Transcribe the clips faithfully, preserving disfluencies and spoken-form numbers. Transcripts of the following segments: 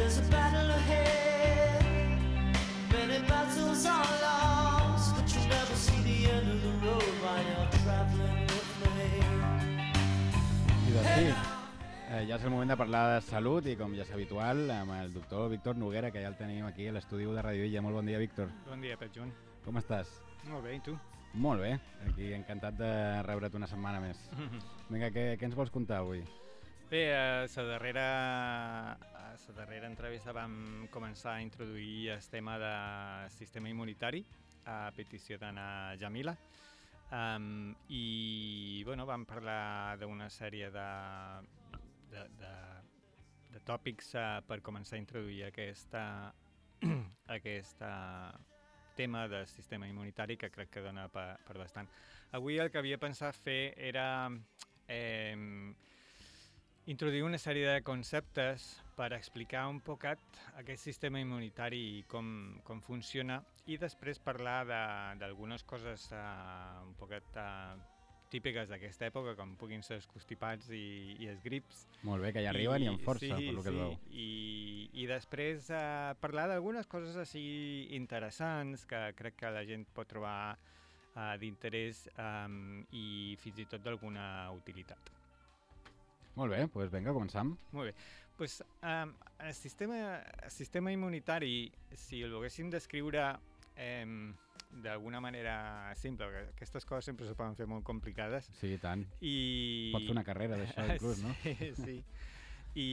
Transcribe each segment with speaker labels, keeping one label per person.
Speaker 1: there's a battle ahead. Many battles are lost, but you never see the end of the road while you're traveling with me.
Speaker 2: I doncs sí, eh, ja és el moment de parlar de salut i com ja és habitual amb el doctor Víctor Noguera, que ja el tenim aquí a l'estudi de Radio Illa. Molt bon dia, Víctor.
Speaker 3: Bon dia, Pep Joan.
Speaker 2: Com estàs?
Speaker 3: Molt bé, i tu?
Speaker 2: Molt bé, aquí encantat de rebre't una setmana més. Vinga, què, què ens vols contar avui?
Speaker 3: Bé, a la darrera, a la darrera entrevista vam començar a introduir el tema del sistema immunitari a petició d'Anna Jamila. Um, I bueno, vam parlar d'una sèrie de, de, de, de tòpics uh, per començar a introduir aquesta, aquesta tema del sistema immunitari que crec que dona per, per bastant. Avui el que havia pensat fer era eh, introduir una sèrie de conceptes per explicar un poquet aquest sistema immunitari i com, com funciona, i després parlar d'algunes coses uh, un poquet uh, típiques d'aquesta època, com puguin ser els constipats i, i els grips.
Speaker 2: Molt bé, que ja arriben i, i amb força,
Speaker 3: sí,
Speaker 2: per lo que
Speaker 3: sí.
Speaker 2: es veu.
Speaker 3: I, i després uh, parlar d'algunes coses així interessants que crec que la gent pot trobar uh, d'interès um, i fins i tot d'alguna utilitat.
Speaker 2: Molt bé, doncs vinga, començam.
Speaker 3: Molt bé. Pues, um, el, sistema, el sistema immunitari, si el volguéssim descriure eh, d'alguna manera simple, perquè aquestes coses sempre se poden fer molt complicades.
Speaker 2: Sí, i tant.
Speaker 3: I...
Speaker 2: Pots fer una carrera d'això, inclús, no?
Speaker 3: Sí, sí. I,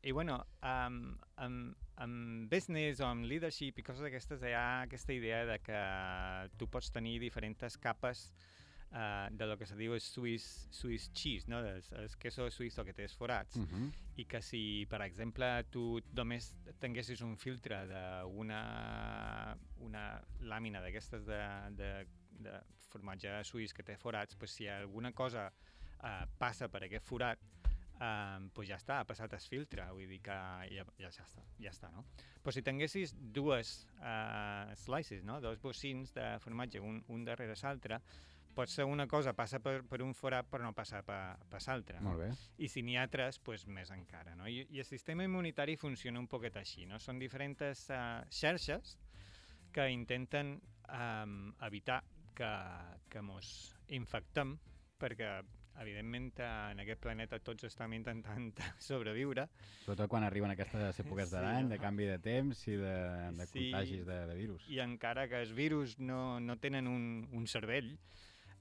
Speaker 3: i bueno, um, amb, amb business o amb leadership i coses d'aquestes hi ha aquesta idea de que tu pots tenir diferents capes Uh, de lo que se diu el Swiss, Swiss cheese, no? el, el queso suïsso que té els forats, uh -huh. i que si, per exemple, tu només tinguessis un filtre d'una una làmina d'aquestes de, de, de formatge suís que té forats, pues, si alguna cosa uh, passa per aquest forat, Uh, pues ja està, ha passat el filtre, vull dir que ja, ja, ja està, ja està, no? Però si tinguessis dues uh, slices, no? Dos bocins de formatge, un, un darrere l'altre, pot ser una cosa passa per, per un forat però no passa per, per l'altre.
Speaker 2: Molt bé.
Speaker 3: I si n'hi ha tres, pues, més encara, no? I, I el sistema immunitari funciona un poquet així, no? Són diferents uh, xarxes que intenten um, evitar que, que mos infectem, perquè evidentment en aquest planeta tots estem intentant sobreviure.
Speaker 2: Sobretot quan arriben aquestes èpoques de l'any, sí, de canvi de temps i de, de
Speaker 3: sí,
Speaker 2: contagis de, de virus.
Speaker 3: I encara que els virus no, no tenen un, un cervell,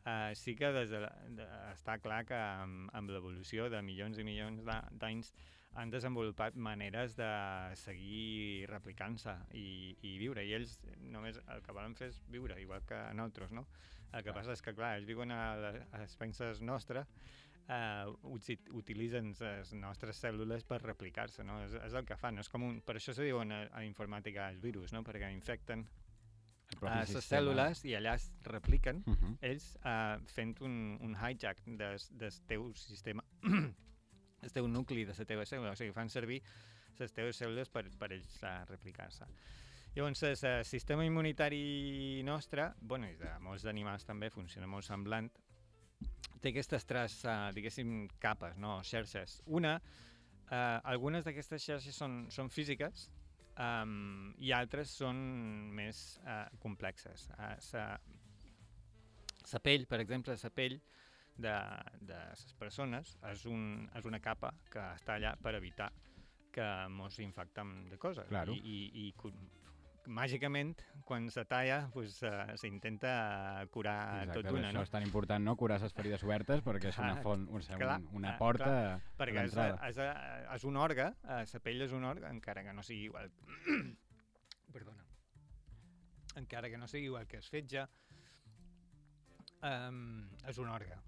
Speaker 3: Uh, sí que des de, de, està clar que amb, amb l'evolució de milions i milions d'anys han desenvolupat maneres de seguir replicant-se i, i viure, i ells només el que volen fer és viure, igual que nosaltres, no? El que clar. Passa és que, clar, ells viuen a les penses nostres, uh, utilitzen les nostres cèl·lules per replicar-se, no? És, és el que fan, no? És com un, per això se diuen a, a informàtica els virus, no? Perquè infecten a les cèl·lules i allà es repliquen, uh -huh. ells uh, fent un, un hijack del, del teu sistema, el teu nucli de la teva cèl·lula, o sigui, fan servir les teves cèl·lules per, per ells uh, replicar-se. Llavors, el sistema immunitari nostre, bueno, i de molts animals també, funciona molt semblant, té aquestes tres, uh, diguéssim, capes, no? Xarxes. Una, uh, algunes d'aquestes xarxes són, són físiques, Um, i altres són més uh, complexes. Uh, sa, sa pell, per exemple, la pell de, de les persones és, un, és una capa que està allà per evitar que mos infectem de coses.
Speaker 2: Claro.
Speaker 3: I, i, i màgicament, quan se talla, pues, uh, s'intenta curar
Speaker 2: exacte,
Speaker 3: tot una.
Speaker 2: Això
Speaker 3: no?
Speaker 2: és tan important, no? Curar les ferides obertes, perquè és una font, un,
Speaker 3: clar,
Speaker 2: un, una porta
Speaker 3: clar,
Speaker 2: per
Speaker 3: perquè
Speaker 2: l'entrada.
Speaker 3: És, és, és un òrgan, la pell és un òrgan, encara que no sigui igual... Perdona. Encara que no sigui igual que el fetge, um, és un òrgan.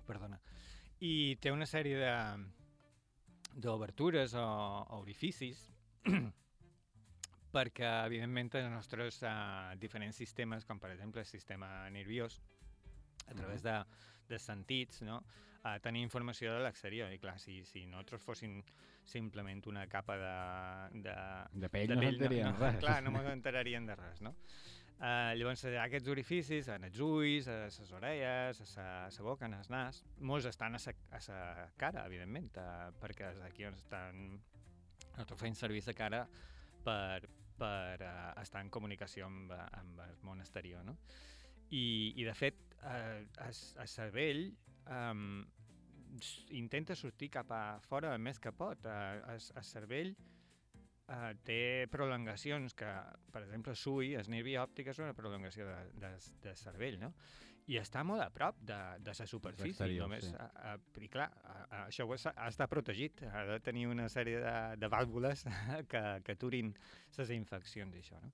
Speaker 3: Perdona. I té una sèrie de d'obertures o, o orificis perquè, evidentment, els nostres uh, diferents sistemes, com per exemple el sistema nerviós, a través de, de sentits, no? uh, tenir informació de l'exterior. I clar, si, si nosaltres fossin simplement una capa de... De,
Speaker 2: de pell, de no s'enterarien
Speaker 3: no,
Speaker 2: res.
Speaker 3: Clar, no m'enterarien de res, no? Uh, llavors, aquests orificis, en els ulls, a les orelles, a la boca, en el nas, molts estan a la cara, evidentment, uh, perquè és aquí on estan nosaltres fem servir la cara per, per uh, estar en comunicació amb, amb el món exterior, no? I, i de fet, eh, el cervell um, intenta sortir cap a fora el més que pot. El, el cervell uh, té prolongacions que, per exemple, el S U I, el nervi òptic, és una prolongació de, de, de cervell, no? I està molt a prop de, de la superfície. Només, sí. a, a, I clar, a, a, això ha d'estar protegit, ha de tenir una sèrie de, de vàlvules que, que aturin les infeccions i això, no?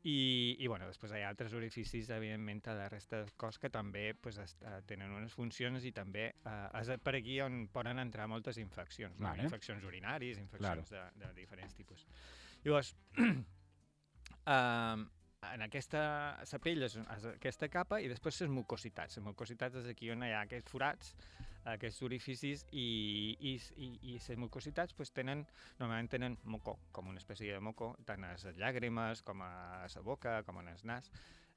Speaker 3: I, i bueno, després hi ha altres orificis, evidentment, a la resta del cos que també pues, est, uh, tenen unes funcions i també uh, és per aquí on poden entrar moltes infeccions, no?
Speaker 2: Vale.
Speaker 3: Infeccions urinàries, infeccions
Speaker 2: claro.
Speaker 3: de, de diferents tipus. Llavors, uh, en aquesta, la pell és, és aquesta capa i després les mucositats. Les mucositats és aquí on hi ha aquests forats, aquests orificis i, i, i, i les mucositats pues, tenen, normalment tenen moco, com una espècie de moco, tant a les llàgrimes com a la boca, com a el nas.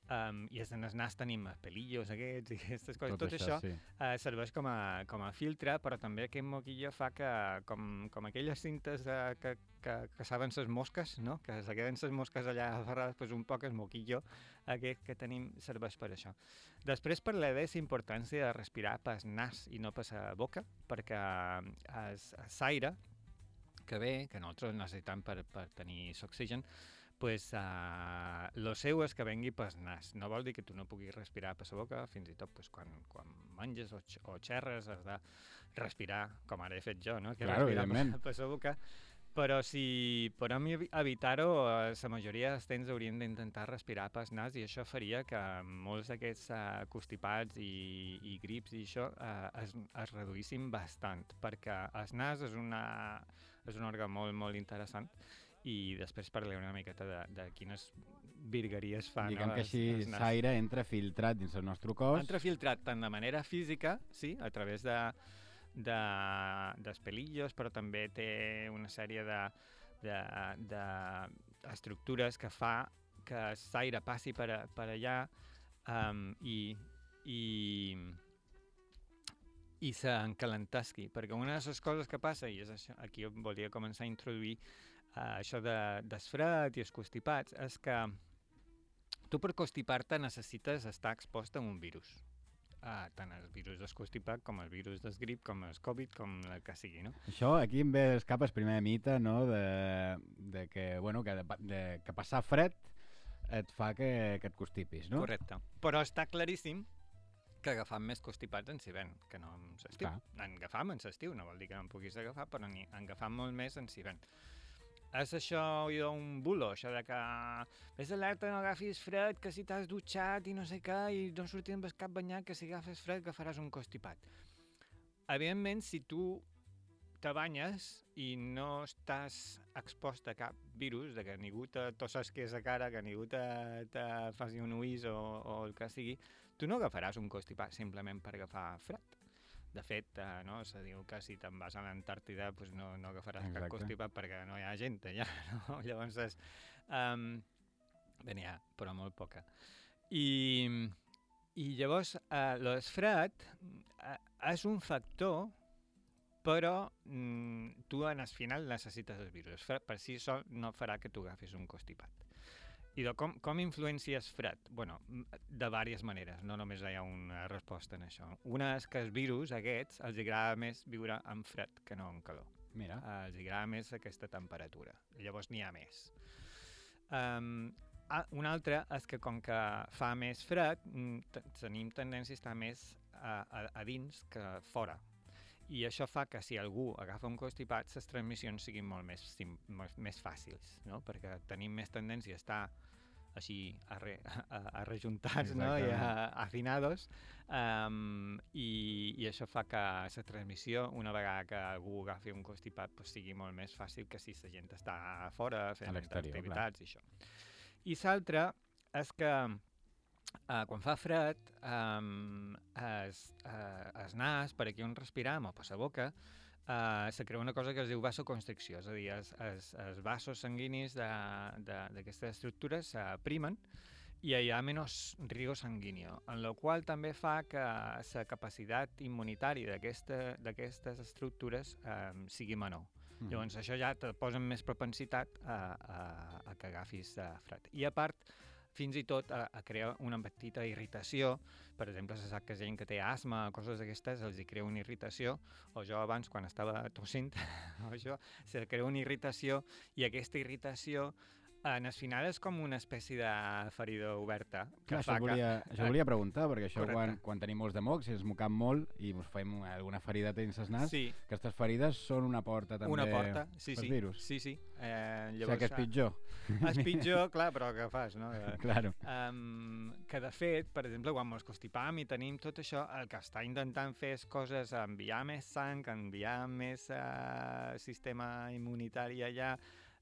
Speaker 3: Um, I en el nas tenim els pelillos aquests i aquestes coses. Tot, Tot això, això sí. uh, serveix com a, com a filtre, però també aquest moquillo fa que, com, com aquelles cintes uh, que, que, que saben les mosques, no? Que se queden les mosques allà aferrades, pues un poc el moquillo aquest que tenim serveix per això. Després parlaré de la importància de respirar pel nas i no per la boca, perquè l'aire que ve, que nosaltres necessitem per, per tenir l'oxigen, pues, uh, lo seu és que vengui pel nas. No vol dir que tu no puguis respirar per la boca, fins i tot pues, quan, quan menges o, o xerres has de respirar, com ara he fet jo, no? Que
Speaker 2: claro,
Speaker 3: respirar per, per la boca. Però si podem evitar-ho, la majoria dels temps hauríem d'intentar respirar pel nas i això faria que molts d'aquests uh, constipats i, i grips i això uh, es, es reduïssin bastant, perquè el nas és, una, és un òrgan molt, molt interessant i després parlaré una miqueta de, de quines virgueries fan.
Speaker 2: Diguem
Speaker 3: no?
Speaker 2: que així l'aire entra filtrat dins el nostre cos.
Speaker 3: Entra filtrat tant de manera física, sí, a través de, de, dels pelillos, però també té una sèrie de, de, de estructures que fa que l'aire passi per, a, per allà um, i, i, i s'encalentesqui. Perquè una de les coses que passa, i és això, aquí volia començar a introduir Uh, això de, del fred i els constipats, és que tu per constipar-te necessites estar expost a un virus. Uh, tant el virus del constipat com el virus del grip, com el Covid, com el que sigui, no?
Speaker 2: Això aquí em ve escapa el primer mite, no?, de, de que, bueno, que, de, de, que passar fred et fa que, que et constipis, no?
Speaker 3: Correcte. Però està claríssim que agafam més constipats en hivern que no en l'estiu. En agafam en l'estiu, no vol dir que no en puguis agafar, però en agafam molt més en hivern. És això un bulo, això de que vés alerta, no agafis fred, que si t'has dutxat i no sé què, i no sortir amb el cap banyat, que si agafes fred agafaràs un constipat. Evidentment, si tu te banyes i no estàs expost a cap virus, de que ningú te tossesqués a cara, que ningú te, te faci un uís o, o el que sigui, tu no agafaràs un constipat simplement per agafar fred. De fet, uh, no, se diu que si te'n vas a l'Antàrtida pues no, no agafaràs Exacte. Cap constipat perquè no hi ha gent allà, no? Llavors, és, um, bé, n'hi ha, però molt poca. I, i llavors, uh, el fred uh, és un factor, però mm, tu en el final necessites el virus. El fred per si sol no farà que tu agafis un constipat. I de com, com influencia el fred? Bueno, de diverses maneres, no només hi ha una resposta en això. Una és que els virus aquests els agrada més viure en fred que no en calor.
Speaker 2: Mira.
Speaker 3: Uh, els agrada més aquesta temperatura. Llavors n'hi ha més. Um, ah, una altra és que com que fa més fred, tenim tendència a estar més a, a, a dins que fora. I això fa que si algú agafa un constipat, les transmissions siguin molt més, sim, més, més fàcils, no? Perquè tenim més tendència a estar així arre, arrejuntats, no? I a, afinados, um, i, i això fa que la transmissió, una vegada que algú agafi un constipat, pues, sigui molt més fàcil que si la gent està a fora fent activitats i això. I l'altre és que Uh, quan fa fred, um, es, uh, es nas, per aquí on respiram o per la boca, uh, se crea una cosa que es diu vasoconstricció, és a dir, els, els, els vasos sanguinis d'aquestes estructures s'aprimen i hi ha menys riego sanguíneo, en la qual també fa que la capacitat immunitària d'aquestes estructures um, sigui menor. Mm. Llavors això ja te posa més propensitat a, a, a que agafis uh, fred. I a part, fins i tot a, a crear una petita irritació. Per exemple, se sap que gent que té asma o coses d'aquestes els hi crea una irritació, o jo abans quan estava tossint o això, se crea una irritació i aquesta irritació en el final és com una espècie de ferida oberta. Que
Speaker 2: Clar,
Speaker 3: fa
Speaker 2: això, volia,
Speaker 3: que...
Speaker 2: això volia preguntar, perquè això
Speaker 3: Correcte.
Speaker 2: quan, quan tenim molts de mocs, si ens mocam molt i ens fem alguna ferida dins el nas,
Speaker 3: Sí.
Speaker 2: aquestes ferides són una porta també
Speaker 3: Una porta, sí,
Speaker 2: pels
Speaker 3: sí.
Speaker 2: virus.
Speaker 3: Sí, sí. Eh,
Speaker 2: O sigui
Speaker 3: llavors,
Speaker 2: que és pitjor.
Speaker 3: És pitjor, clar, però què fas, no? Eh,
Speaker 2: Claro.
Speaker 3: Um, que de fet, per exemple, quan mos constipam i tenim tot això, el que està intentant fer és coses, enviar més sang, enviar més uh, sistema immunitari allà,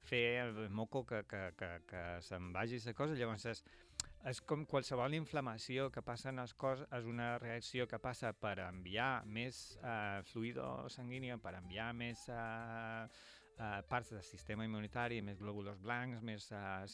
Speaker 3: fer el moco que, que, que, que se'n vagi la cosa. Llavors és, és com qualsevol inflamació que passa en el cos, és una reacció que passa per enviar més uh, fluido sanguini, per enviar més uh, uh, parts del sistema immunitari, més glòbuls blancs, més uh,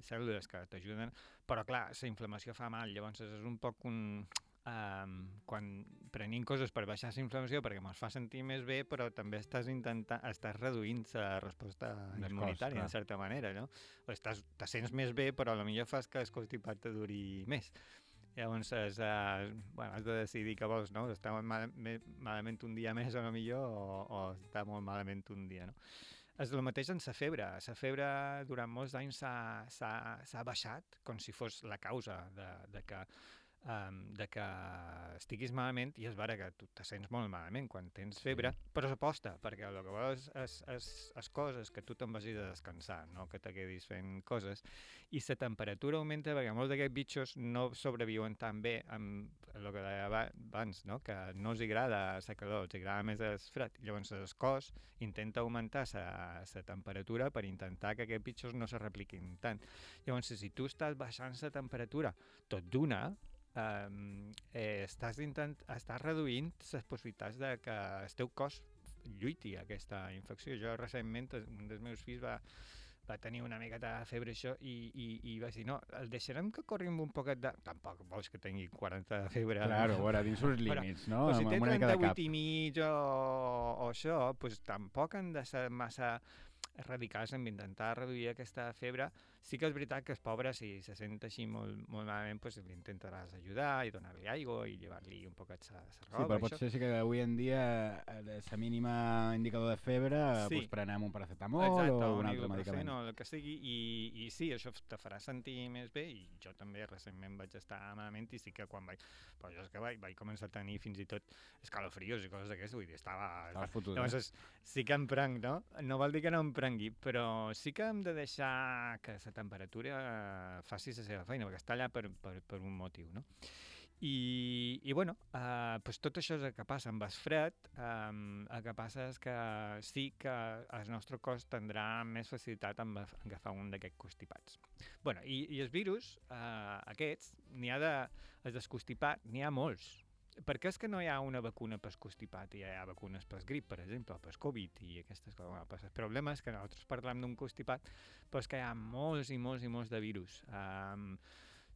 Speaker 3: cèl·lules que t'ajuden, però clar, la inflamació fa mal, llavors és un poc un... Um, quan prenim coses per baixar la inflamació perquè ens fa sentir més bé, però també estàs intentant, estàs reduint la resposta
Speaker 2: Més
Speaker 3: immunitària,
Speaker 2: cos,
Speaker 3: en certa manera, no? O estàs, te sents més bé, però potser fas que el constipat te duri més. Llavors, és, uh, bueno, has de decidir què vols, no? Estar mal, me, malament un dia més o no millor, o, o estar molt malament un dia, no? És el mateix en la febre. La febre durant molts anys s'ha baixat, com si fos la causa de, de que Um, de que estiguis malament, i és vera que tu te sents molt malament quan tens febre, sí. Però s'aposta, perquè el que vols és, és, és coses que tu te'n vagis a descansar, no que te quedis fent coses, i la temperatura augmenta perquè molts d'aquests bitxos no sobreviuen tan bé amb el que deia abans, no? Que no els agrada la calor, els agrada més el fred. Llavors el cos intenta augmentar la temperatura per intentar que aquests bitxos no se repliquin tant. Llavors, si tu estàs baixant la temperatura tot d'una, Um, eh, estàs, intent, estàs reduint les possibilitats de que el teu cos lluiti aquesta infecció. Jo recentment, un dels meus fills va, va tenir una miqueta de febre això i, i, i va dir, no, el deixarem que corri amb un poquet de... Tampoc vols que tingui quaranta de febre.
Speaker 2: Claro, bueno, dins uns límits, no?
Speaker 3: Però si té
Speaker 2: Amb una mica de cap.
Speaker 3: trenta-vuit i mig o, o això, pues, tampoc han de ser massa radicals en intentar reduir aquesta febre. Sí que és veritat que el pobre, si se sent així molt, molt malament, pues, l'intentaràs ajudar i donar-li aigua i llevar-li un poquet sa, sa roba.
Speaker 2: Sí, però
Speaker 3: això.
Speaker 2: potser sí que avui en dia la mínima indicador de febre,
Speaker 3: Sí.
Speaker 2: pues, prenem un paracetamol
Speaker 3: Exacte,
Speaker 2: o un
Speaker 3: un
Speaker 2: altre
Speaker 3: ibuprofeno
Speaker 2: medicament.
Speaker 3: o el que sigui, i, i sí, això te farà sentir més bé, i jo també recentment vaig estar malament, i sí que quan vaig... Però jo és que vaig, vaig començar a tenir fins i tot escalofrios i coses d'aquestes, vull dir, estava...
Speaker 2: Estaves fotut,
Speaker 3: Llavors,
Speaker 2: eh?
Speaker 3: és, sí que em prenc, no? No vol dir que no em prengui, però sí que hem de deixar que la temperatura faci la seva feina, perquè està allà per, per, per un motiu, no? I, i bueno, uh, pues tot això és el que passa amb el fred. Um, el que passa és que sí que el nostre cos tindrà més facilitat en agafar un d'aquests constipats. Bueno, i, i els virus, uh, aquests, n'hi ha de... Els del constipat, n'hi ha molts. Per què és que no hi ha una vacuna per constipat i hi ha vacunes per grip, per exemple, o per Covid i aquestes coses? Bueno, el problema és que nosaltres parlem d'un constipat, però és que hi ha molts i molts i molts de virus. Um,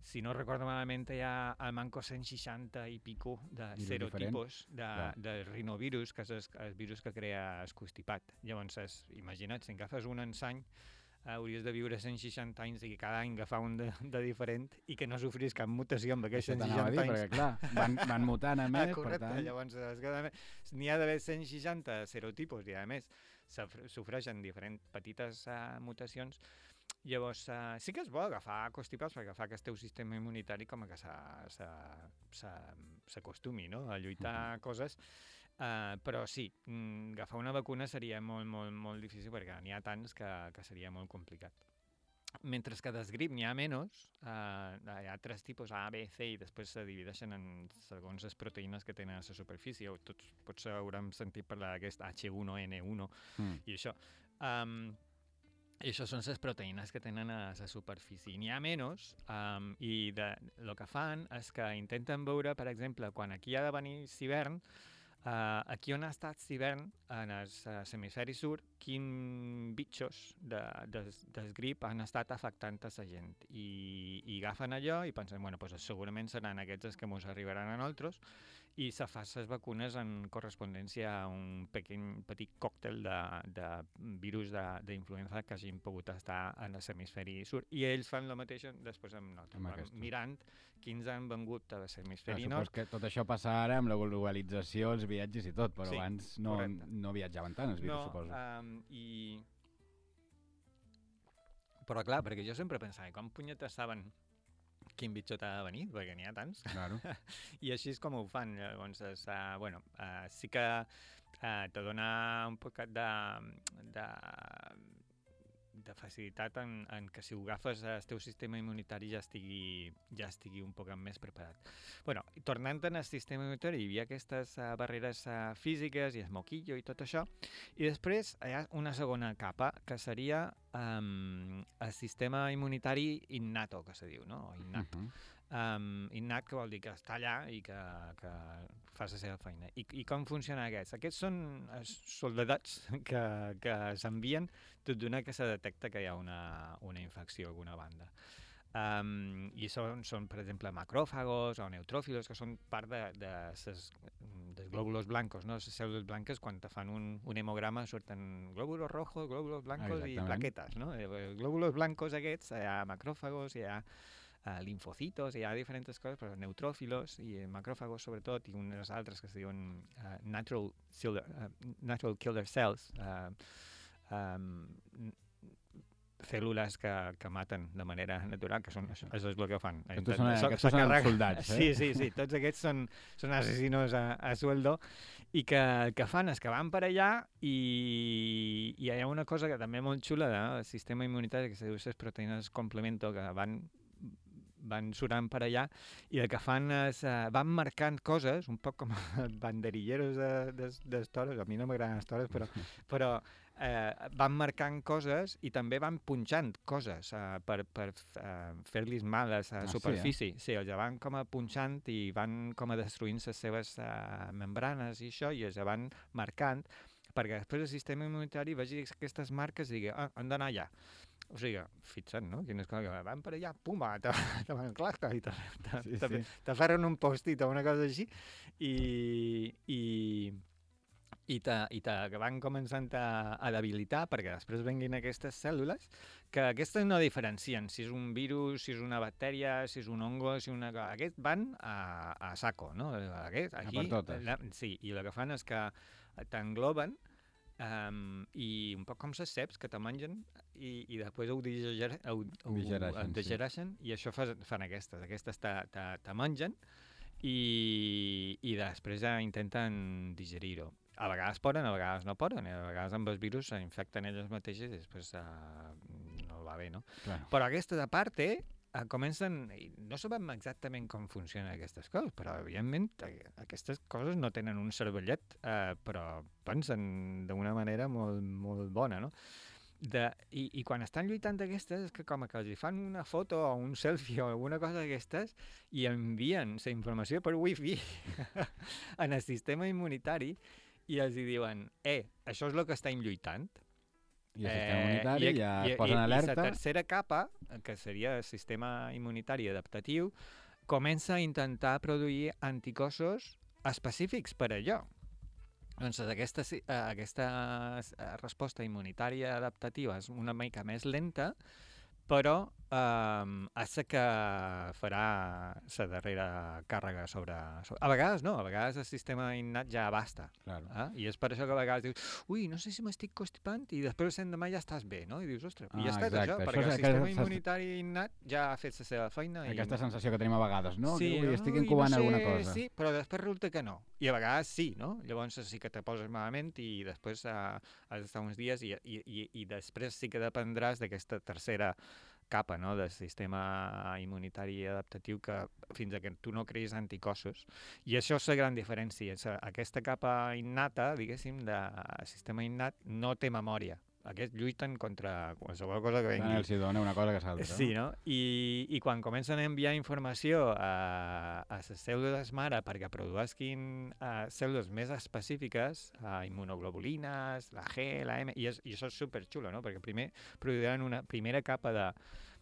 Speaker 3: si no recordo malament, hi ha el manco cent seixanta i pico de
Speaker 2: Virus
Speaker 3: serotipos de,
Speaker 2: Clar.
Speaker 3: de rinovirus, que és el, el virus que crea el constipat. Llavors, és, imagina't, si agafes un ensany, hauries de viure cent seixanta anys i cada any agafar un de, de diferent i que no sofris cap mutació amb aquests
Speaker 2: Això
Speaker 3: cent
Speaker 2: t'anava a
Speaker 3: seixanta
Speaker 2: dir,
Speaker 3: anys.
Speaker 2: perquè clar, van, van mutant a
Speaker 3: Ah,
Speaker 2: més,
Speaker 3: correcte,
Speaker 2: per tant...
Speaker 3: llavors és que n'hi ha d'haver cent seixanta serotipos i a més sofreixen diferents petites uh, mutacions. Llavors uh, sí que és bo agafar constipats perquè fa que el teu sistema immunitari com que s'acostumi, no?, a lluitar uh-huh. coses. Uh, però sí, mm, agafar una vacuna seria molt, molt, molt difícil perquè n'hi ha tants que, que seria molt complicat. Mentre que del grip n'hi ha menys, uh, hi ha tres tipus, A, B, C, i després se divideixen en segons les proteïnes que tenen a la superfície. Tots potser haurem sentit parlar d'aquest H uno N uno mm. i això. Um, I això són les proteïnes que tenen a la superfície. N'hi ha menys, um, i de, el que fan és que intenten veure, per exemple, quan aquí ha de venir l'hivern, Uh, aquí on ha estat l'hivern, en el uh, hemisferi sud, quins bitxos de, de, del grip han estat afectant a la gent. I, i agafen allò i pensen, bueno, pues segurament seran aquests els que ens arribaran a nosaltres, i se fa les vacunes en correspondència a un pequeñ, petit còctel de, de virus d'influenza que hagin pogut estar en l'hemisferi sud. I ells fan el mateix després amb nosaltres, mirant quins han vengut a l'hemisferi nord.
Speaker 2: Supos que tot això passa ara amb la globalització, els viatges i tot, però
Speaker 3: sí,
Speaker 2: abans no, no viatjaven tant els virus,
Speaker 3: no,
Speaker 2: suposo.
Speaker 3: Um, i... Però clar, perquè jo sempre pensava, com punyetes saben quin bitxo t'ha de venir, perquè n'hi ha tants.
Speaker 2: Claro.
Speaker 3: I així és com ho fan. Llavors, és, uh, bueno, uh, sí que uh, te dona un poc de, de, de facilitat en, en que si ho agafes el teu sistema immunitari ja estigui, ja estigui un poc més preparat. Bueno, tornant al sistema immunitari, hi havia aquestes uh, barreres uh, físiques i el moquillo i tot això, i després hi ha una segona capa, que seria um, el sistema immunitari innato, que se diu, no? O innat. Uh -huh. Um, innat, que vol dir que està allà i que, que fa la seva feina. I, I com funciona aquests? Aquests són soldadats que, que s'envien tot d'una que se detecta que hi ha una, una infecció a alguna banda. Um, I són, són, per exemple, macròfagos o neutròfilos, que són part de, de ses, dels glòbulos blancos, no? Les cèl·lules blanques, quan te fan un, un hemograma, surten glòbulos rojos, glòbulos blancos i plaquetes, no? Els glòbulos blancos aquests, hi ha macròfagos, hi ha Uh, linfocitos, hi ha diferents coses, però neutròfilos i macròfagos sobretot, i unes altres que es diuen uh, natural, killer, uh, natural killer cells, uh, um, cèl·lules que, que maten de manera natural, que són, això, això és el que fan.
Speaker 2: Aquests són, aquests són soldats, eh?
Speaker 3: Sí, sí, sí, tots aquests són, són assassinos a, a sueldo, i que el que fan és que van per allà i, i hi ha una cosa que també molt xula del sistema immunitari, que se diu les proteïnes complemento, que van van surant per allà, i el que fan és, uh, van marcant coses, un poc com banderilleros de, de, de toros, a mi no m'agraden les toros, però, però eh, van marcant coses i també van punxant coses uh, per, per uh, fer-los mal a la superfície. Sí, eh? Sí, els van com a punxant i van com a destruint les seves uh, membranes i això, i els van marcant, perquè després el sistema immunitari vegi aquestes marques i digui, ah, han d'anar allà. O sigui, fixa't, no? Quines coses que van per allà, pum, te, te van clascar i te, te, sí, te, sí. te ferren un post-it o una cosa així, i, i, i, te, i te van començant a, a debilitar perquè després venguin aquestes cèl·lules, que aquestes no diferencien si és un virus, si és una bactèria, si és un hongo, si una... Aquests van a, a saco, no? Aquest, aquí,
Speaker 2: a per totes.
Speaker 3: La, sí, i el que fan és que t'engloben, Um, i un poc com les ceps que te mengen i, i després ho, diger, ho, ho digereixen, digereixen sí. I això fa, fan aquestes. Aquestes te, te, te mengen i, i després ja intenten digerir-ho. A vegades poden, a vegades no poden, a vegades amb els virus s'infecten elles mateixes i després uh, no va bé, no?
Speaker 2: Claro.
Speaker 3: Però aquestes, a part, eh, Uh, comencen, no sabem exactament com funcionen aquestes coses, però evidentment aquestes coses no tenen un cervellet, uh, però pensen d'una manera molt, molt bona, no? De, i, I quan estan lluitant aquestes és que com que els fan una foto o un selfie o alguna cosa d'aquestes i envien la informació per wifi en el sistema immunitari i els diuen, eh, això és el que estem lluitant.
Speaker 2: I el sistema immunitari eh, ja es posen
Speaker 3: i,
Speaker 2: alerta.
Speaker 3: I la tercera capa, que seria el sistema immunitari adaptatiu, comença a intentar produir anticossos específics per a allò. Doncs aquesta, aquesta resposta immunitària adaptativa és una mica més lenta, però um, és la que farà la darrera càrrega sobre, sobre... A vegades no, a vegades el sistema innat ja basta.
Speaker 2: Claro.
Speaker 3: Eh? I és per això que a vegades dius, ui, no sé si m'estic constipant, i després el demà ja estàs bé, no? I dius, ostres,
Speaker 2: ah,
Speaker 3: i ja està
Speaker 2: exacte.
Speaker 3: això,
Speaker 2: això
Speaker 3: perquè
Speaker 2: és,
Speaker 3: el sistema
Speaker 2: aquesta,
Speaker 3: immunitari innat ja ha fet la seva feina.
Speaker 2: Aquesta
Speaker 3: i...
Speaker 2: sensació que tenim a vegades, no?
Speaker 3: Sí,
Speaker 2: que, ui, estic
Speaker 3: ui,
Speaker 2: incubant
Speaker 3: no sé,
Speaker 2: alguna cosa.
Speaker 3: Sí, però després resulta que no. I a vegades sí, no? Llavors sí que te poses malament i després uh, has d'estar uns dies i, i, i, i després sí que dependràs d'aquesta tercera capa, no?, del sistema immunitari adaptatiu, que fins a que tu no creïs anticossos. I això és la gran diferència. Aquesta capa innata, diguéssim, del sistema innat no té memòria. Aquests lluiten contra qualsevol cosa que vengui.
Speaker 2: Ah, els hi dona una cosa que s'altra.
Speaker 3: Sí, no? I, i quan comencen a enviar informació a, a les cèl·lules mare perquè produeixin uh, cèl·lules més específiques, uh, immunoglobulines, la G, la M, i, és, i això és superxulo, no? Perquè primer produiran una primera capa de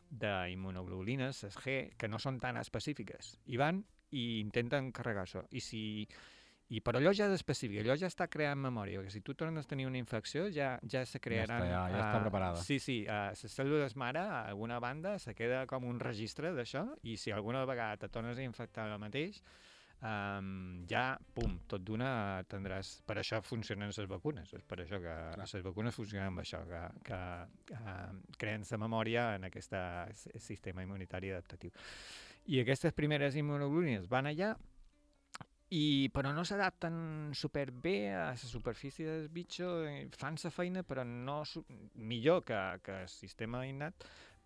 Speaker 3: d'immunoglobulines, les G, que no són tan específiques, i van i intenten carregar això. I si... I però allò ja és específic, allò ja està creant memòria, perquè si tu tornes a tenir una infecció ja, ja se crearan...
Speaker 2: Ja està, ja, ja està preparada.
Speaker 3: Sí, sí, uh, les cèl·lules mare, a alguna banda, se queda com un registre d'això, i si alguna vegada te tornes a infectar el mateix, um, ja, pum, tot d'una tindràs... Per això funcionen les vacunes, és per això que les vacunes funcionen amb això, que, que, que creen la memòria en aquest sistema immunitari adaptatiu. I aquestes primeres immunoglobulines van allà, I, però no s'adapten superbé a la superfície del bitxo, fan la feina, però no millor que, que el sistema innat,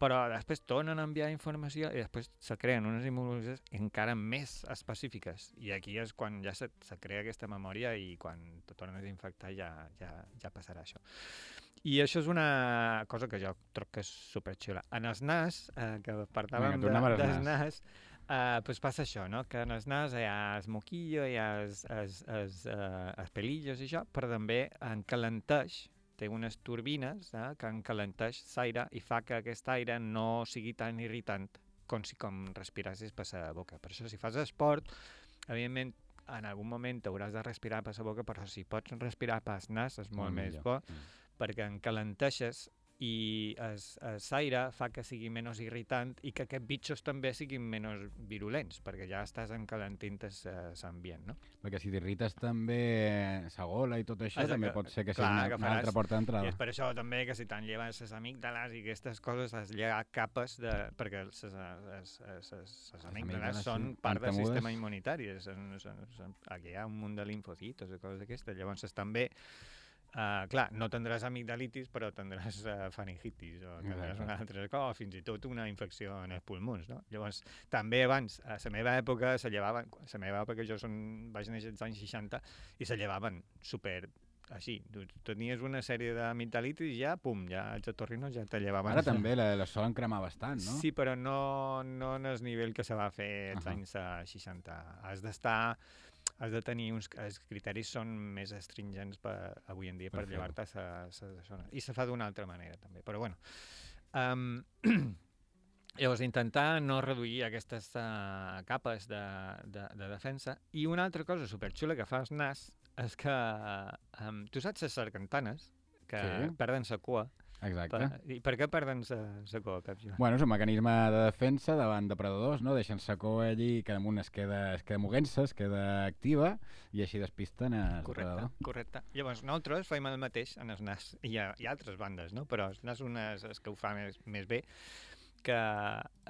Speaker 3: però després tornen a enviar informació i després se creen unes immunoglobulines encara més específiques. I aquí és quan ja se, se crea aquesta memòria i quan te tornes a infectar ja, ja, ja passarà això. I això és una cosa que jo trobo que és superxula. En els nas, eh, que parlàvem de, dels nas, eh, pues passa això, no? Que en els nas hi ha el moquillo, hi ha els, els, els, eh, els pelillos i això, però també encalenteix, té unes turbines eh, que encalenteix l'aire i fa que aquest aire no sigui tan irritant com si com respirassis per la boca. Per això, si fas esport, evidentment, en algun moment hauràs de respirar per la boca, però si pots respirar per el nas és molt, molt més bo, mm. perquè encalenteixes i l'aire fa que sigui menys irritant i que aquests bitxos també siguin menys virulents, perquè ja estàs encalentint l'ambient, no?
Speaker 2: Perquè si t'irrites també la gola i tot això,
Speaker 3: Exacte.
Speaker 2: també pot ser que sigui
Speaker 3: Clar,
Speaker 2: una,
Speaker 3: que
Speaker 2: una
Speaker 3: faràs.
Speaker 2: altra porta d'entrada.
Speaker 3: I és per això també que si t'han llevat les amígdales i aquestes coses has llegat capes, de, perquè les, les, les, les amígdales són
Speaker 2: sí,
Speaker 3: part del
Speaker 2: pantamudes.
Speaker 3: sistema immunitari. Són, són, són, aquí hi ha un munt de linfocitos i coses d'aquestes. Llavors també Uh, clar, no tindràs amigdalitis, però tindràs uh, faringitis o tindràs una altra cosa, o fins i tot una infecció en els pulmons, no? Llavors, també abans, a la meva època, se llevaven, la meva època, jo son, vaig néixer als anys seixanta, i se llevaven super així. Tu tenies una sèrie d'amigdalitis i ja, pum, ja els otorrinos ja te llevaven.
Speaker 2: Ara també les solen cremar bastant, no?
Speaker 3: Sí, però no, no en el nivell que se va fer als uh -huh. anys seixanta. Has d'estar... has de tenir uns... Els criteris són més astringents per, avui en dia per, per llevar-te a la zona. I se fa d'una altra manera, també. Però, bueno... Um, llavors, intentar no reduir aquestes uh, capes de, de, de defensa. I una altra cosa superxula que fa el nas és que... Um, tu saps les sargantanes, que sí. perden la cua.
Speaker 2: Exacte.
Speaker 3: Per, I per què perden la cua, Pep Joan?
Speaker 2: Bueno, és un mecanisme de defensa davant depredadors, no? Deixen la cua allí i cada un es queda, es queda moguent-se, es queda activa i així despisten el depredador.
Speaker 3: Correcte. Llavors, nosaltres fem el mateix en els nas. Hi ha, hi ha altres bandes, no? Però els nas són els que ho fan més, més bé, que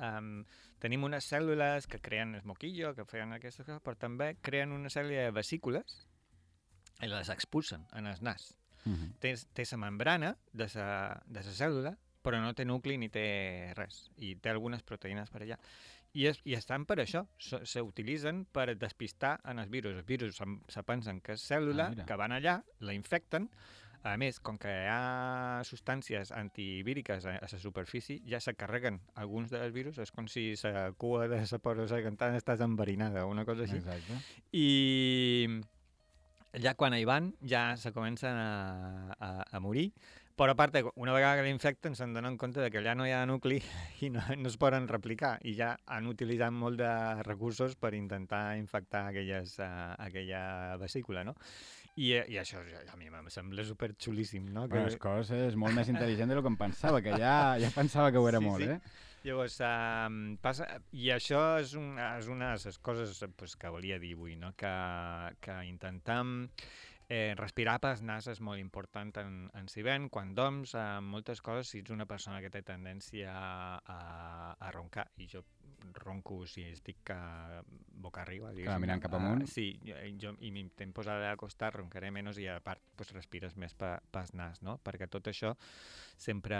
Speaker 3: um, tenim unes cèl·lules que creen el moquillo, que feien aquestes coses, però també creen una sèrie de vesícules i les expulsen en el nas. Uh-huh. Té, té la membrana de la de la cèl·lula, però no té nucli ni té res. I té algunes proteïnes per allà. I, es, i estan per això. S'utilitzen per despistar en els virus. Els virus se, se pensen que és cèl·lula, ah, que van allà, la infecten. A més, com que hi ha substàncies antivíriques a, a la superfície, ja se carreguen alguns dels virus. És com si la cua de la porosargantana estàs enverinada, una cosa així.
Speaker 2: Exacte.
Speaker 3: I... ja quan hi van, ja se comencen a, a, a morir, però a part, una vegada que l'infecten se'n donen compte de que allà no hi ha nucli i no, no es poden replicar, i ja han utilitzat molt de recursos per intentar infectar aquelles, uh, aquella vesícula, no? I, i això a mi em sembla superxulíssim, no?
Speaker 2: Que... Bueno, és cosa, és molt més intel·ligent del que em pensava, que ja, ja pensava que ho era
Speaker 3: sí,
Speaker 2: molt,
Speaker 3: sí.
Speaker 2: eh?
Speaker 3: Llavors, um, passa, i això és, un, és una de les coses pues, que volia dir avui, no? que, que intentam eh, respirar pel nas és molt important en, en si ben, quan dorms, eh, moltes coses, si ets una persona que té tendència a, a, a roncar, i jo ronco si estic uh, boca arriba.
Speaker 2: Clar, mirant cap amunt.
Speaker 3: Uh, sí, jo, i m'intent posar a costar, roncaré menys i a part pues, respires més pel pa, nas, no? Perquè tot això sempre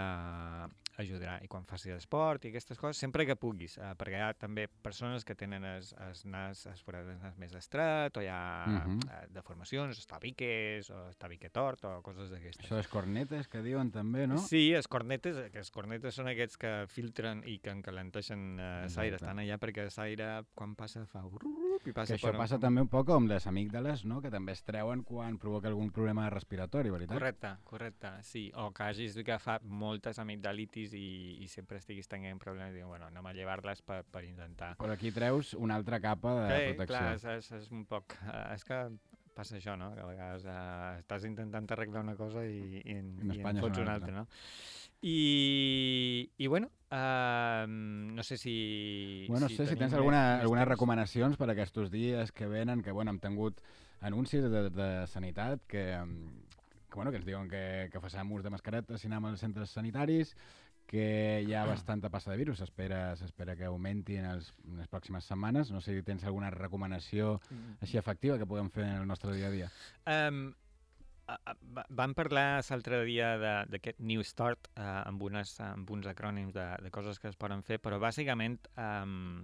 Speaker 3: ajudarà. I quan facis esport i aquestes coses, sempre que puguis, uh, perquè hi ha també persones que tenen el nas, es forat del nas més estret, o hi ha uh -huh. uh, deformacions, està bé tabiques, o tabique tort, o coses d'aquestes.
Speaker 2: Això dels cornetes que diuen també, no?
Speaker 3: Sí, els cornetes, que els cornetes són aquests que filtren i que encalenteixen eh, l'aire, estan allà perquè l'aire, quan passa, fa... I passa
Speaker 2: que això
Speaker 3: per...
Speaker 2: passa també un poc amb les amígdales, no? Que també es treuen quan provoca algun problema respiratori, veritat?
Speaker 3: Correcte, correcte, sí. O que hagis agafat moltes amigdalitis i, i sempre estiguis tenint problemes i diuen, bueno, anem a llevar-les per, per intentar...
Speaker 2: Però aquí treus una altra capa de
Speaker 3: sí,
Speaker 2: protecció.
Speaker 3: Clar, és, és, és un poc... Uh, és que passa això, no? Que a vegades uh, estàs intentant arreglar una cosa i, i, en,
Speaker 2: en,
Speaker 3: i en fots una altra, no? I, i bueno, uh, no sé si...
Speaker 2: Bueno, no
Speaker 3: si
Speaker 2: sé si tens
Speaker 3: tenim
Speaker 2: alguna,
Speaker 3: més,
Speaker 2: algunes
Speaker 3: més
Speaker 2: recomanacions per aquests dies que venen, que bueno, hem tingut anuncis de, de sanitat que, que, bueno, que ens diuen que, que facem ús de mascaretes si anem als centres sanitaris, que hi ha bastanta passa de virus, s'espera s'espera que augmenti en, els, en les pròximes setmanes. No sé si tens alguna recomanació així efectiva que puguem fer en el nostre dia a dia.
Speaker 3: Um, uh, uh, vam parlar l'altre dia d'aquest New Start uh, amb, unes, amb uns acrònims de, de coses que es poden fer, però bàsicament um,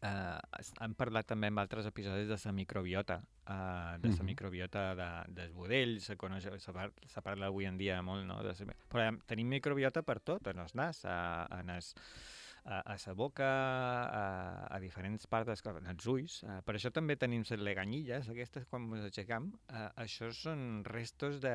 Speaker 3: uh, hem parlat també en altres episodis de la microbiota, uh, de la
Speaker 2: Mhm.
Speaker 3: microbiota de, dels budells, se, coneix, se, par, se parla avui en dia molt, no? De sa, però tenim microbiota per tot, en el nas, a, en el, a, a la boca, a, a diferents parts dels cos, els ulls. Uh, per això també tenim les leganyilles, aquestes quan ens aixecam. Uh, això són restos de,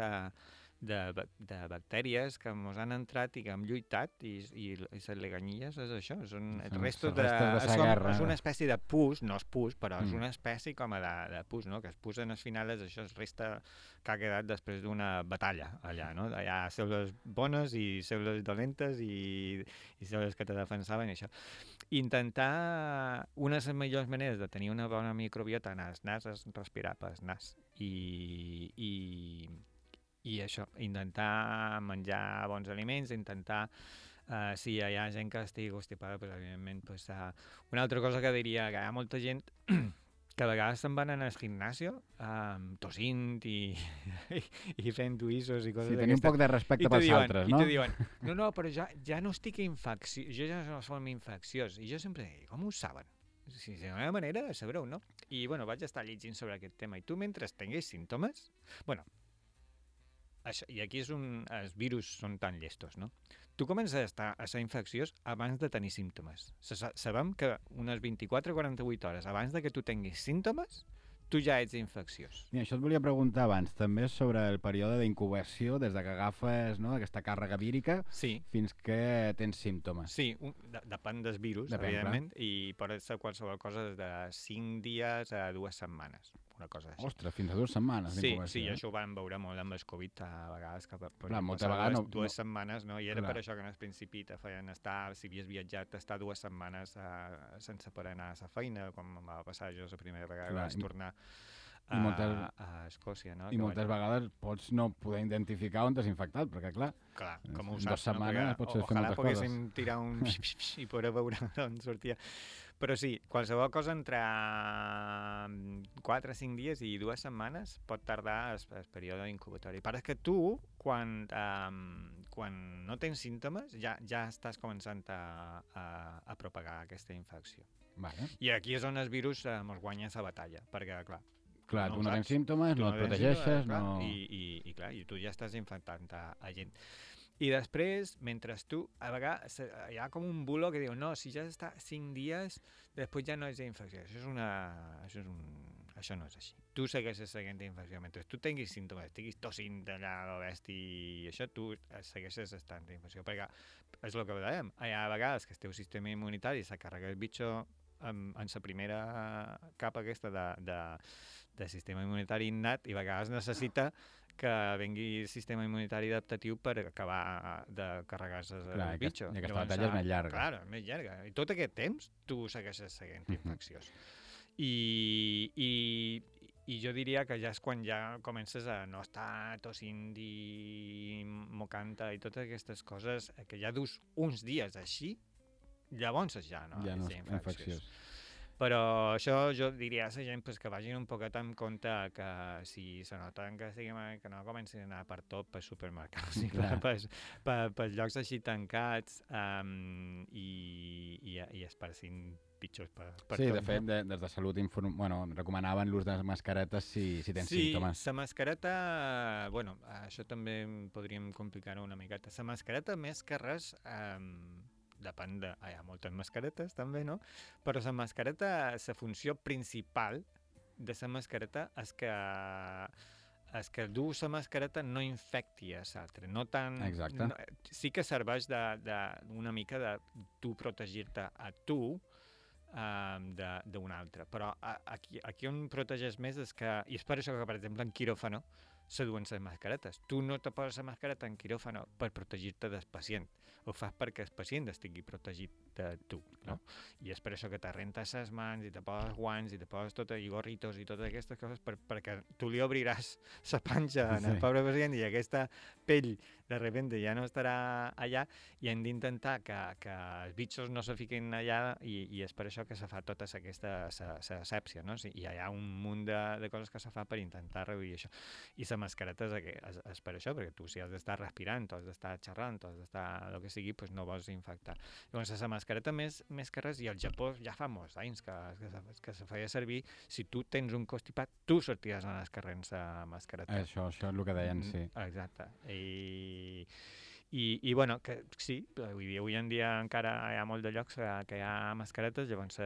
Speaker 3: de, de bactèries que ens han entrat i que hem lluitat, i, i, i les leganyilles és això, són
Speaker 2: Són
Speaker 3: restos
Speaker 2: els
Speaker 3: de...
Speaker 2: restos de sa
Speaker 3: és, com,
Speaker 2: guerra.
Speaker 3: és una espècie de pus, no és pus, però
Speaker 2: Mm.
Speaker 3: és una espècie com a de, de pus, no? Que es pus en el final, és això, es resta que ha quedat després d'una batalla allà, no? Hi ha cèl·lules bones i cèl·lules dolentes i, i cèl·lules que te defensaven i això. Intentar, una de les millors maneres de tenir una bona microbiota en el nas és respirar pel nas. I, i, i això, intentar menjar bons aliments, intentar, uh, si hi ha gent que estigui constipada, pues, evidentment, pues, uh, una altra cosa que diria, que hi ha molta gent que a vegades se'n van anar al gimnasio um, tossint i, i, i fent tuïssos i coses
Speaker 2: Sí,
Speaker 3: d'aquestes.
Speaker 2: tenir un poc de respecte pels
Speaker 3: diuen,
Speaker 2: altres,
Speaker 3: no?
Speaker 2: no?
Speaker 3: I te diuen, no, no, però ja, ja no estic infecciós, jo ja no som infecciós. I jo sempre dic, com ho saben? Si és una manera de saber-ho, no? I, bueno, vaig estar llegint sobre aquest tema. I tu, mentre tinguis símptomes... Bueno, això, i aquí és un... Els virus són tan llestos, no? Tu comences a estar a ser infecciós abans de tenir símptomes. Sabem que unes vint-i-quatre a quaranta-vuit hores abans de que tu tinguis símptomes, tu ja ets infecciós.
Speaker 2: I això et volia preguntar abans, també sobre el període d'incubació, des de que agafes, no, aquesta càrrega vírica
Speaker 3: Sí,
Speaker 2: fins que tens símptomes.
Speaker 3: sí, un, de, depèn dels virus,
Speaker 2: Depèn,
Speaker 3: evidentment, i pot ser qualsevol cosa des de cinc dies a dues setmanes, una cosa així.
Speaker 2: Ostres, fins a dues setmanes
Speaker 3: Sí,
Speaker 2: d'incubació.
Speaker 3: sí,
Speaker 2: eh?
Speaker 3: això ho vam veure molt amb el Covid a vegades, que per,
Speaker 2: Clar, moltes
Speaker 3: passar
Speaker 2: vegades
Speaker 3: dues,
Speaker 2: no-
Speaker 3: dues
Speaker 2: no-
Speaker 3: setmanes, no? I era
Speaker 2: Clar.
Speaker 3: per això que en el principi te feien estar, si havies viatjat, estar dues setmanes uh, sense poder anar a la feina, com em va passar jo la primera vegada que
Speaker 2: Clar,
Speaker 3: vaig
Speaker 2: i-
Speaker 3: tornar
Speaker 2: i
Speaker 3: a,
Speaker 2: moltes-
Speaker 3: a Escòcia, no?
Speaker 2: I
Speaker 3: Que
Speaker 2: moltes
Speaker 3: vaig-
Speaker 2: vegades pots no poder identificar on t'has infectat, perquè clar,
Speaker 3: Clar, com ho
Speaker 2: en
Speaker 3: saps,
Speaker 2: dues setmanes
Speaker 3: no?
Speaker 2: pots fer
Speaker 3: Ojalà
Speaker 2: moltes
Speaker 3: poguéssim
Speaker 2: coses.
Speaker 3: tirar un i poder veure d'on sortia. Però sí, qualsevol cosa entre quatre o cinc dies i dues setmanes pot tardar el, el període incubatori. Però és que tu, quan, um, quan no tens símptomes, ja, ja estàs començant a, a, a propagar aquesta infecció.
Speaker 2: Vale.
Speaker 3: I aquí és on el virus eh, ens guanya la batalla, perquè, clar,
Speaker 2: Clar,
Speaker 3: No
Speaker 2: tu
Speaker 3: ho
Speaker 2: no tens
Speaker 3: saps.
Speaker 2: símptomes,
Speaker 3: tu
Speaker 2: no et
Speaker 3: tens
Speaker 2: protegeixes,
Speaker 3: símptomes, clar,
Speaker 2: no...
Speaker 3: I, i, i clar, i tu ja estàs infectant a, a gent. I després, mentre tu, a vegades se- hi ha com un bulo que diu, no, si ja està cinc dies, després ja no és infecció. Això és una... Això, és un, això no és així. Tu segueixes seguint infecció. Mentre tu tinguis símptomes, estiguis tossint allà a l'oest i això, tu segueixes estant d'infecció. Perquè és el que dèiem, hi ha vegades que el teu sistema immunitari s'ha carregat el bitxo en, en la primera capa aquesta de, de, de sistema immunitari innat i a vegades necessita que vengui el sistema immunitari adaptatiu per acabar de carregar-se el
Speaker 2: Clar, i que-
Speaker 3: bitxo.
Speaker 2: i aquesta
Speaker 3: Llavors,
Speaker 2: batalla és
Speaker 3: ah,
Speaker 2: més llarga.
Speaker 3: Clar, és més llarga. I tot aquest temps tu segueixes seguint
Speaker 2: Mhm.
Speaker 3: infecciós. I, i, I jo diria que ja és quan ja comences a no estar tossint i mocant i totes aquestes coses, que ja dus uns dies així, llavors ja no
Speaker 2: ja no
Speaker 3: és
Speaker 2: és
Speaker 3: infecciós.
Speaker 2: infecciós.
Speaker 3: Però això jo diria a la gent pues, que vagin un poquet en compte que si se noten que, siguem, que no comencin a anar per tot, per supermercats i per, per, per, per llocs així tancats um, i, i, i esparcint pitjors per, per
Speaker 2: sí,
Speaker 3: tot.
Speaker 2: de fet, de, des de Salut inform... bueno, recomanaven l'ús de mascaretes si, si tens
Speaker 3: sí,
Speaker 2: símptomes.
Speaker 3: Sí, la mascareta, bueno, això també podríem complicar-ho una miqueta. La mascareta, més que res, um, depèn de... Ah, hi ha moltes mascaretes, també, no? Però la mascareta, la funció principal de la mascareta és que és que dur la mascareta no infecti a l'altre. No tant...
Speaker 2: Exacte.
Speaker 3: No, sí que serveix de, de, una mica de tu protegir-te a tu um, d'un altre. Però a, aquí, aquí on protegeix més és que... I és per això que, per exemple, en quiròfano se duen les mascaretes. Tu no te poses la mascareta en quiròfano per protegir-te del pacient. Ho fas perquè el pacient estigui protegit de tu, no? I és per això que te rentes les mans i te poses guants i te poses tot, i gorritos i totes aquestes coses per, perquè tu li obriràs la panxa al sí. pobre pacient i aquesta pell de repente ja no estarà allà i hem d'intentar que, que els bitxos no se fiquin allà i, i és per això que se fa tota aquesta asèpsia, no? I hi ha un munt de, de coses que se fa per intentar reduir això. I la mascareta és, és, és per això, perquè tu si has d'estar respirant, tu has d'estar xerrant, tu has d'estar el que sigui, doncs no vols infectar. Llavors, la mascareta més, més que res, i al Japó ja fa molts anys que, que, se, que se feia servir, si tu tens un constipat, tu sorties en els carrers a mascareta.
Speaker 2: Això, això és el que deien, sí.
Speaker 3: Exacte. I, i, i bueno, que sí, vull dir, avui en dia encara hi ha molt de llocs que, que hi ha mascaretes, llavors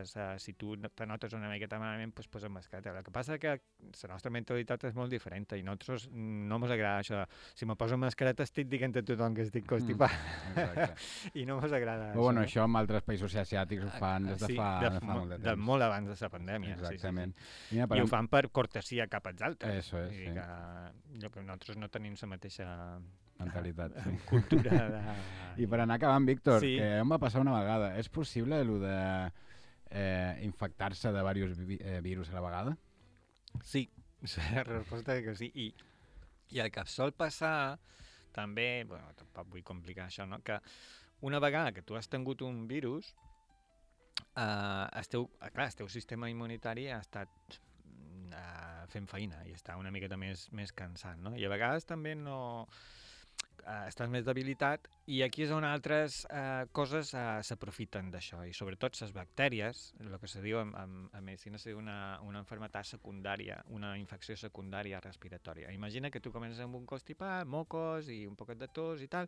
Speaker 3: si tu te notes una miqueta malament, doncs posa mascareta. El que passa que la nostra mentalitat és molt diferent i a nosaltres no ens agrada això. Si me poso mascareta estic dient a tothom que estic constipat. Mm, I no ens agrada
Speaker 2: Però, bueno,
Speaker 3: no?
Speaker 2: Això en altres països asiàtics ho fan des de,
Speaker 3: sí,
Speaker 2: fa,
Speaker 3: de,
Speaker 2: de fa molt de temps.
Speaker 3: De molt abans de la pandèmia.
Speaker 2: Exactament.
Speaker 3: Sí, sí, sí. I, I ho fan per cortesia cap als altres.
Speaker 2: Eso és, sí.
Speaker 3: Que, que nosaltres no tenim la mateixa
Speaker 2: mentalitat, sí.
Speaker 3: Cultura de...
Speaker 2: I per anar acabant, Víctor,
Speaker 3: sí.
Speaker 2: que em va passar una vegada. És possible allò de eh, infectar-se de diversos vi eh, virus a la vegada?
Speaker 3: Sí, la resposta és que sí. I, i el que sol passar també, bueno, tampoc vull complicar això, no? Que una vegada que tu has tingut un virus, eh, el, teu, clar, el teu sistema immunitari ha estat eh, fent feina i està una miqueta més, més cansat, no? I a vegades també no... Uh, estàs més debilitat i aquí és on altres uh, coses uh, s'aprofiten d'això i sobretot les bactèries, el que se diu en, en, en medicina se diu una, una enfermetat secundària, una infecció secundària respiratòria. Imagina que tu comences amb un constipat, mocos i un poquet de tos i tal,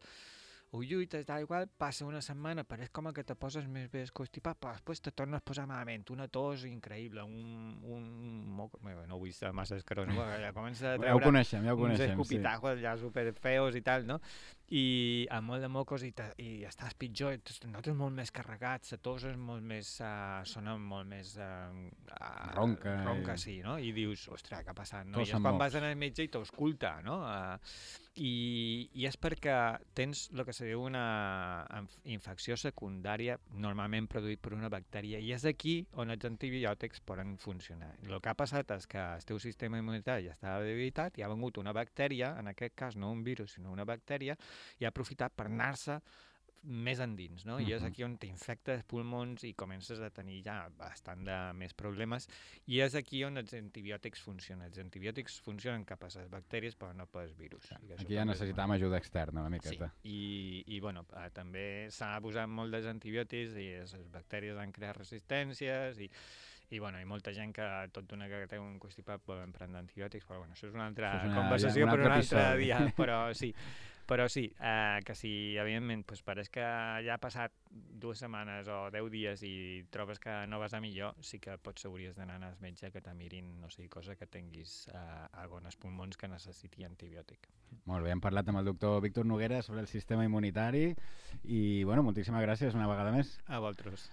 Speaker 3: ho lluites, tal igual, passa una setmana, pareix com que te poses més bé constipat, però després te tornes a posar malament, una tos increïble, un, un moc... no vull ser massa escarós, no? Ja comença a treure
Speaker 2: ja ho coneixem, ja ho coneixem,
Speaker 3: uns escopitajos sí. Ja superfeos i tal, no? I amb molt de mocos i, te, i estàs pitjor, et notes molt més carregats, la tos és molt més, uh, sona molt més... Uh, uh,
Speaker 2: ronca.
Speaker 3: Ronca,
Speaker 2: i...
Speaker 3: sí, no? I dius, ostres, què ha passat? No?
Speaker 2: Tos
Speaker 3: I és quan vas anar al metge i t'ausculta, no? Uh, i, I és perquè tens el que se diu una infecció secundària normalment produït per una bactèria i és aquí on els antibiòtics poden funcionar. El que ha passat és que el teu sistema immunitari ja estava debilitat i ha vengut una bactèria, en aquest cas no un virus sinó una bactèria, i ha aprofitat per anar-se més endins, no? Uh-huh. I és aquí on t'infecta els pulmons i comences a tenir ja bastant de més problemes i és aquí on els antibiòtics funcionen. Els antibiòtics funcionen cap a les bactèries però no pels virus.
Speaker 2: Ja, aquí ja necessitàvem ajuda externa una miqueta.
Speaker 3: Sí, i, i bueno, eh, també s'ha abusat molt dels antibiòtics i les bactèries han creat resistències i I, bueno, hi ha molta gent que tot d'una que té un constipat poden prendre antibiòtics, però bueno, això és una altra és una, conversació ja, un per un altre episodi. Dia, però sí, però sí eh, que si, evidentment, pues, pareix que ja ha passat dues setmanes o deu dies i trobes que no vas a millor, sí que potser hauries d'anar al metge que te mirin, no sé, cosa que tinguis eh, alguns pulmons que necessiti antibiòtic.
Speaker 2: Molt bé, hem parlat amb el doctor Víctor Noguera sobre el sistema immunitari i, bueno, moltíssimes gràcies una vegada més.
Speaker 3: A vosaltres.